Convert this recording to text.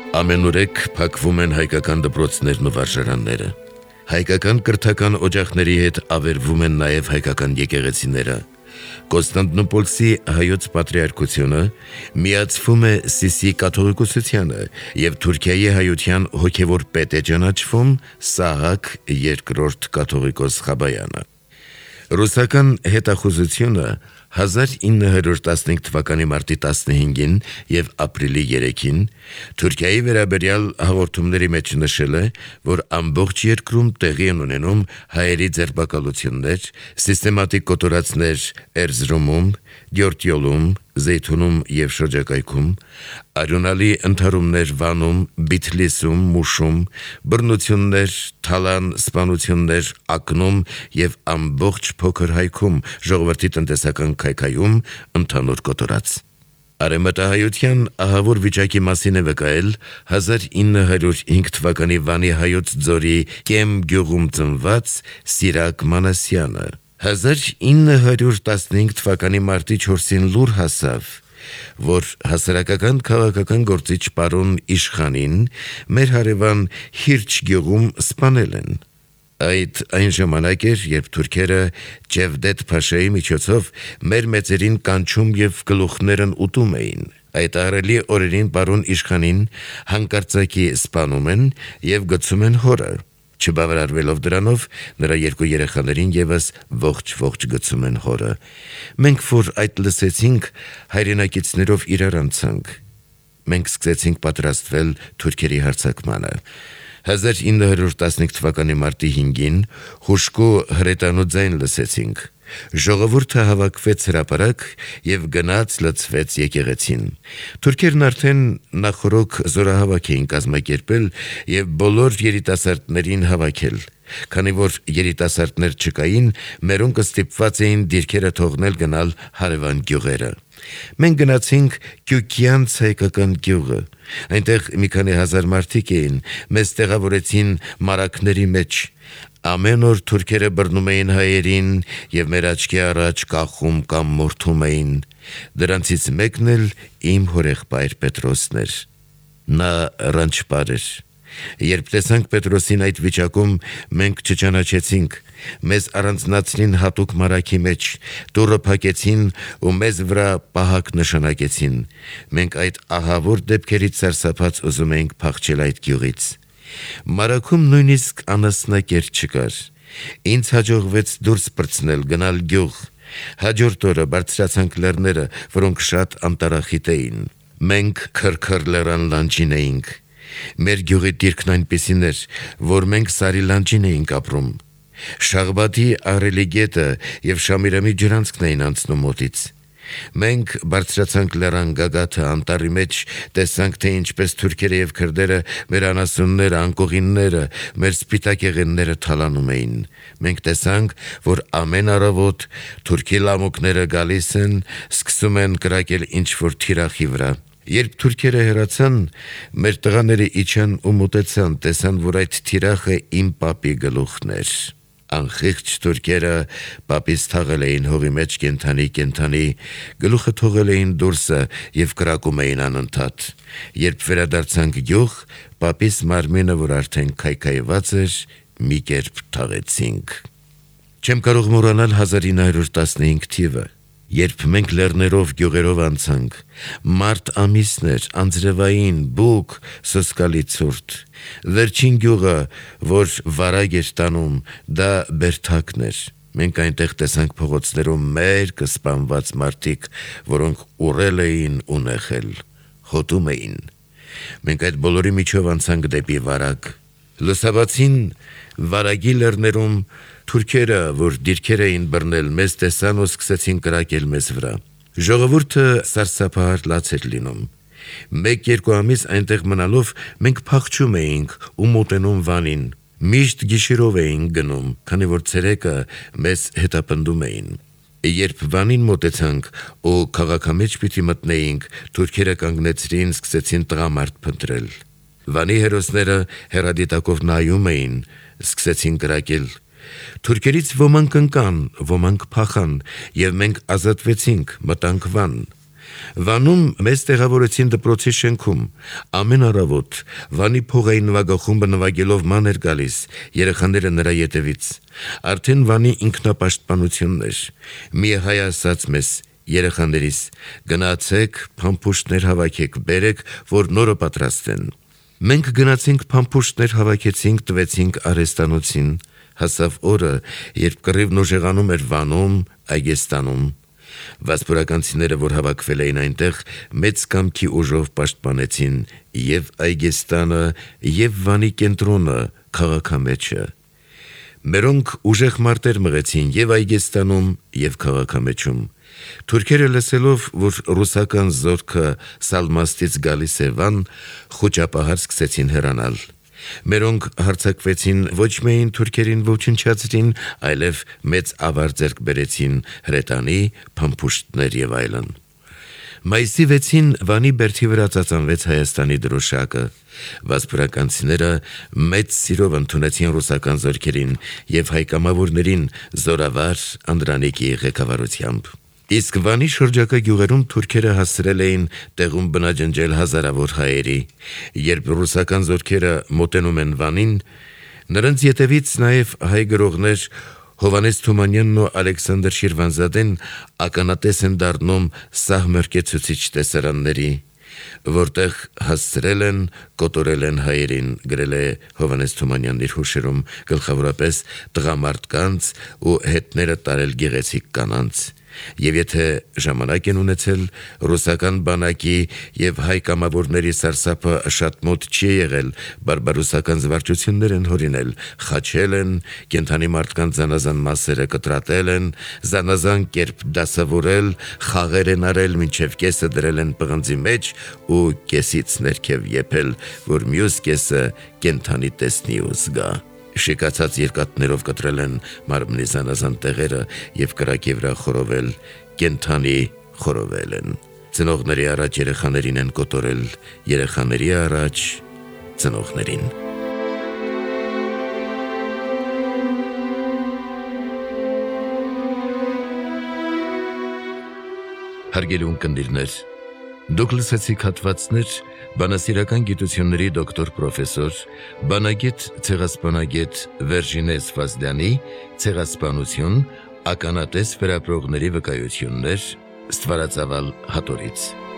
Ամենուրեք փակվում են հայկական դպրոցներն ու վարժարանները։ Հայկական կրթական օջախների հետ ավերվում են նաև հայկական եկեղեցիները։ Կոնստանդնուպոլսի հայոց պատրիարքությունը միացվում է Սիսի կաթողիկոսությանը եւ Թուրքիայի հայության հոգեվոր պետ է ճանաչվում Սահակ II կաթողիկոս Խաբայանը։ Ռուսական հետախուզությունը 1915 թվականի մարտի 15-ին եւ ապրիլի 3-ին Թուրքիայի վերաբերյալ հաղորդումների մեջ նշել է, որ ամբողջ երկրում տեղի են ունենում հայերի ձերբակալություններ, սիստեմատիկ կոտորածներ Էրզրումում, Դյորտյոլում, Զեյթունում եւ շրջակայքում, արյունալի ընդհարումներ Վանում, Բիթլիսում, Մուշում, բռնություններ, թալան սպանություններ Ակնում եւ ամբողջ փոքր Հայքում, ժողովրդի տնտեսական քայքայում, ընդհանուր կոտորած։ Արեմտահայության ահավոր վիճակի մասին է վկայել 1905 թվականի Վանի հայոց ձորի Կեմ գյուղում ծնված Սիրակ Մանասյանը։ 1915 թվականի մարտի 4-ին լուր հասավ, որ հասարակական քաղաքական գործիչ պարոն Իշխանին մեր հարևան Հիրչ գյուղում սպանել են։ Այն ժամանակ էր, երբ թուրքերը Ջևդետ Փաշայի միջոցով մեր մեծերին կանչում եւ գլուխներն ուտում էին։ Այդ ահռելի օրերին պարոն Իշխանին հանկարծակի սպանում են եւ գցում են հորը։ Չբավարարվելով դրանով, նրա երկու երեխաներին եւս ողջ գցում են հորը։ Մենք որ այդ լսեցինք, հայրենակիցներով իրար անցանք։ Մենք սկսեցինք պատրաստվել թուրքերի հարձակմանը։ 1915 թվականի մարտի 5-ին հուժկու հրետանու ձայն լսեցինք։ Ժողովուրդը հավաքվեց հրապարակ եւ գնաց լցվեց եկեղեցին։ Թուրքերն արդեն նախորոք զորահավաք էին կազմակերպել եւ բոլոր երիտասարդներին հավաքել։ Քանի որ երիտասարդներ չկային, մերոնք ստիպված էին դիրքերը թողնել գնալ հարևան գյուղերը։ Մենք գնացինք Կյուկյանց հայկական գյուղը։ Այնտեղ մի քանի հազար մարդիկ էին, մեզ տեղավորեցին մարակների մեջ։ Ամեն օր թուրքերը բռնում էին հայերին եւ մեր աչքի առաջ կախում կամ մորթում էին։ Դրանցից մեկն էլ իմ հորեղբայր Պետրոսն էր։ Նա ռանչպար էր։ Երբ տեսանք Պետրոսին այդ վիճակում, մենք չճանաչեցինք։ Մեզ առանձնացրին հատուկ մարակի մեջ, դուռը փակեցին ու մեզ վրա պահակ նշանակեցին։ Մենք այդ ահավոր դեպքերից սարսափած ուզում էինք փախչել այդ գյուղից։ Մարաքում նույնիսկ անասնակեր չկար։ Ինձ հաջողվեց դուրս պրծնել, գնալ գյուղ։ Հաջորդ օրը բարձրացանք լեռները, որոնք շատ անտարախիտ էին։ Մենք քրքր լեռան լանջին էինք։ Մեր գյուղի դիրքն այնպիսին էր, որ մենք Սարի լանջին էինք ապրում։ Շաղբադի ահռելի գետը եւ Շամիրամի ջրանցքն էին անցնում մոտից։ Մենք բարձրացանք լեռան գագաթը, անտառի մեջ տեսանք, թե ինչպես թուրքերը եւ քրդերը մեր անասունները, անկողինները, մեր սպիտակ եղենները թալանում էին։ Մենք տեսանք, որ ամեն առավոտ թուրքի լամուկները գալիս են, սկսում են կրակել ինչ-որ թիրախի վրա։ Երբ թուրքերը հեռացան, մեր տղաները իջան ու մոտեցան, տեսան, որ այդ թիրախը իմ պապի գլուխն էր։ Անխիղճ թուրքերը պապից թաղել էին հողի մեջ կենթանի, գլուխը թողել էին դուրսը եւ կրակում էին անընդհատ։ Երբ վերադարձանք գյուղ, պապիս մարմինը, որ արդեն քայքայված էր, մի կերպ թաղեցինք։ Չեմ կարող մոռանալ 1915 թիվը, երբ մենք լեռներով գյուղերով անցանք։ Մարտ ամիսն էր, անձրևային, բուք, սոսկալի ցուրտ։ Վերջին գյուղը, որ վարագ էր տանում, դա Բերթակն էր։ Մենք այնտեղ տեսանք փողոցներում մերկ սպանված մարդիկ, որոնք ուռել էին ու նեղել, հոտում էին։ Մենք այդ բոլորի միջով անցանք դեպի վարագ։ Լուսաբացին վարագի լեռներում թուրքերը, որ դիրքեր էին բռնել, մեզ տեսան ու սկսեցին կրակել մեզ վրա։ Ժողովուրդը սարսափահար լաց էր լինում։ 1-2 ամիս այնտեղ մնալով մենք փախչում էինք ու մոտենում Վանին։ Միշտ գիշերով էինք գնում, քանի որ ցերեկը մեզ հետապնդում էին։ Երբ Վանին մոտեցանք ու քաղաքամեջ պիտի մտնեինք, թուրքերը կանգնեցրին, սկսեցին տղամարդ փնտրել։ Վանի հերոսները հեռադիտակով նայում էին, սկսեցին կրակել։ Թուրքերից ոմանք ընկան, ոմանք փախան, եւ մենք ազատվեցինք, մտանք Վան։ Վանում մեզ տեղավորեցին դպրոցի շենքում, ամեն առավոտ Վանի փողային նվագախումբը նվագելով ման էր գալիս, երեխաները նրա ետևից, արդեն Վանի ինքնապաշտպանությունն էր, մի հայ ասաց մեզ, երեխաներիս, գնացեք, փամփուշտներ հավաքեք, բերեք, որ նորը պատրաստեն։ Մենք գնացինք փամփուշտներ հավաքեցինք, տվեցինք արհեստանոցին, հասավ օրը, երբ կռիվն ուժեղանում էր Վանում, Այգեստանում։ Վասպուրականցիները, որ հավաքվել էին այնտեղ, մեծ կամքի ուժով պաշտպանեցին եւ Այգեստանը, եւ Վանի կենտրոնը, քաղաքամեջը։ Մերոնք ուժեղ մարտեր մղեցին եւ Այգեստանում, եւ քաղաքամեջում։ Թուրքերը լսելով, որ ռուսական զորքը Սալմաստից գալիս է Վան, խոճապահար սկսեցին հեռանալ։ Մերոնք հարձակվեցին ոչ միայն թուրքերին ոչնչացրին, այլև մեծ ավար ձեռք բերեցին հրետանի, փամփուշտներ եւ այլն։ Մայիսի 6-ին Վանի բերդի վրա ծածանվեց Հայաստանի դրոշակը։ Վասպուրականցիները մեծ սիրով ընդունեցին ռուսական զորքերին եւ հայ կամավորներին զորավար Անդրանիկի ղեկավարությամբ։ Իսկ Վանի շրջակա գյուղերում թուրքերը հասցրել էին տեղում բնաջնջել հազարավոր հայերի։ Երբ ռուսական զորքերը մոտենում են Վանին, նրանց ետևից նաև հայ գրողներ Հովանես Թումանյանն ու Ալեքսանդր Շիրվանզադեն ականատես են դառնում սահմռկեցուցիչ տեսարանների, որտեղ հասցրել են, կոտորել են հայերին, գրել է Հովանես Թումանյանն իր հուշերում, գլխավորապես տղամարդկանց ու հետները տարել գեղեցիկ կանանց։ Եվ եթե ժամանակ են ունեցել, ռուսական բանակի եւ հայ կամավորների սարսափը շատ մոտ չի եղել, բարբարոսական զվարճություններ են հորինել, խաչել են, կենդանի մարդկանց զանազան մասերը կտրատել են, զանազան կերպ դասավորել, խաղեր են արել, մինչև կեսը դրել են պղնձի մեջ ու կեսից ներքև եփել, որ մյուս կեսը կենդանի տեսնի ու զգա։ Շիկացած երկաթներով կտրել են մարմնի զանազան տեղերը եւ կրակի վրա խորովել, կենդանի խորովել են։ Ծնողների առաջ երեխաներին են կոտորել, երեխաների առաջ ծնողներին։ Հարգելի ունկնդիրներ, դուք լսեցիք հատվածներ բանասիրական գիտությունների դոկտոր պրոֆեսոր, բանագետ ցեղասպանագետ Վերժինե Սվազդյանի ցեղասպանություն, ականատես վերապրողների վկայություններ Ստվարածավալ հատորից։